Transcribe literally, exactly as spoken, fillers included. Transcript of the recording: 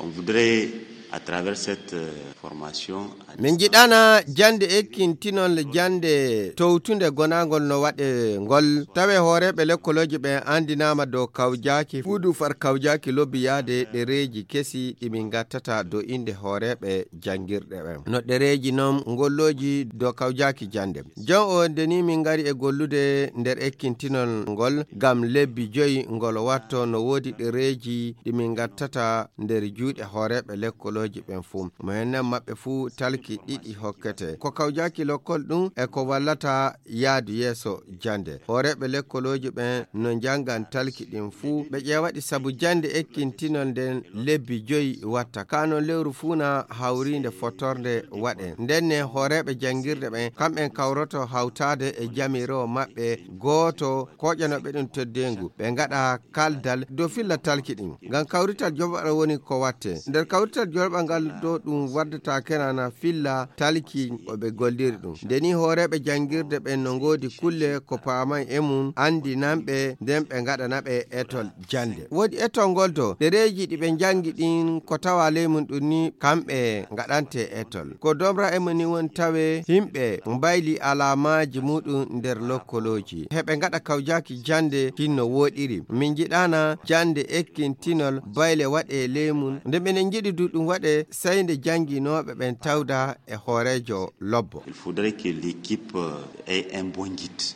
On voudrait, à travers cette euh, formation, min njiɗana jannde ekkintinol jannde towtunde gonangol no waɗe ngol. Tawe hooreeɓe lekkolooji ɓen anndinaama dow kawjaaki fuudu far kawjaaki lobbiyaade ɗereeji kesi ɗi min ngattata dow innde hooreeɓe janngirɗe ɓen. No ɗereeji non ngollooji dow kawjaaki jannde. Jon o nde ni min ngari e gollude nder ekkintinol ngol ngam lebbi joyi ngol watto no woodi ɗereeji ɗi min ngattata nder juuɗe hooreeɓe lekkolooji ɓen fuu. Mo hennen maɓɓe fuu talki ɗiɗi hokkete. Ko kawjaaki lokkol ɗum e ko wallata yaadu yeeso jannde. Hooreeɓe lekkolooji ɓen no njanngan talki ɗin fuu. Ɓe ƴeewaɗi sabu jannde ekkintinol nden lebbi joyi watta. Kaa non lewru fuu na hawriinde fottornde waɗe. Nden ne hooreeɓe janngirɗe ɓen, kamɓen kawroto hawtaade e jamiiroowo maɓɓe gooto, koƴanooɓe ɗum teddeengu. Ɓe ngaɗa kaldal dow filla talki ɗin. Ngam kawrital joɓaɗo woni ko watte. Nder kawrital joɓaɗo ngal dow ɗum waddata kenana filla talki o ɓe golliri ɗum. Nde ni hooreeɓe janngirde ɓen no ngoodi kulle ko paamay e mum, anndinanɓe, nden ɓe ngaɗanaɓe etol jannde. Woodi etol ngol dow ɗereeji ɗi ɓe njanngi ɗin ko tawa ley mum ɗum ni kamɓe ngaɗante etol. Ko domra e mum ni woni tawe himɓe mbayli alaamaaji muɗum nder lokkolooji. Heɓe ngaɗa kawjaaki jannde kinno woɗiri. Min njiɗana jannde ekkintinol bayle waɗe ley mum. Nde minen njiɗi du ɗum waɗe sey nde jannginooɓe ɓen tawda e hooreejo lobbo. Il faudrait que l'équipe euh, ait un bon guide.